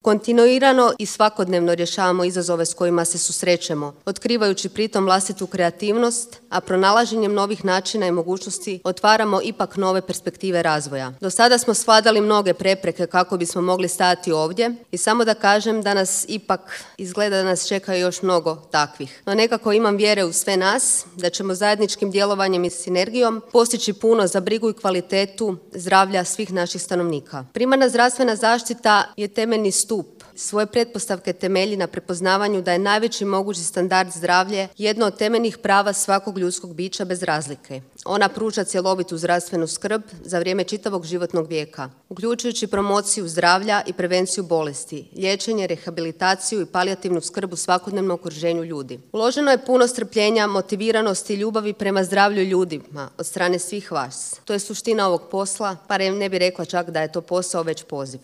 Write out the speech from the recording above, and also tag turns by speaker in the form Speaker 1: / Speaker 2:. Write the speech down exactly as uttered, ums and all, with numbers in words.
Speaker 1: Kontinuirano i svakodnevno rješavamo izazove s kojima se susrećemo, otkrivajući pritom vlastitu kreativnost, a pronalaženjem novih načina i mogućnosti otvaramo ipak nove perspektive razvoja. Do sada smo svladali mnoge prepreke kako bismo mogli stajati ovdje i samo da kažem da nas ipak izgleda da nas čeka još mnogo takvih. No nekako imam vjere u sve nas da ćemo zajedničkim djelovanjem i sinergijom postići puno za brigu i kvalitetu zdravlja svih naših stanovnika. Primarna zdravstvena zaštita je temeljni stup. Svoje pretpostavke temelji na prepoznavanju da je najveći mogući standard zdravlje jedno od temeljnih prava svakog ljudskog bića bez razlike. Ona pruža cjelovitu zdravstvenu skrb za vrijeme čitavog životnog vijeka, uključujući promociju zdravlja i prevenciju bolesti, liječenje, rehabilitaciju i palijativnu skrb u svakodnevnom okruženju ljudi. Uloženo je puno strpljenja, motiviranosti i ljubavi prema zdravlju ljudima od strane svih vas. To je suština ovog posla, pa ne bih rekla čak da je to posao, već poziv.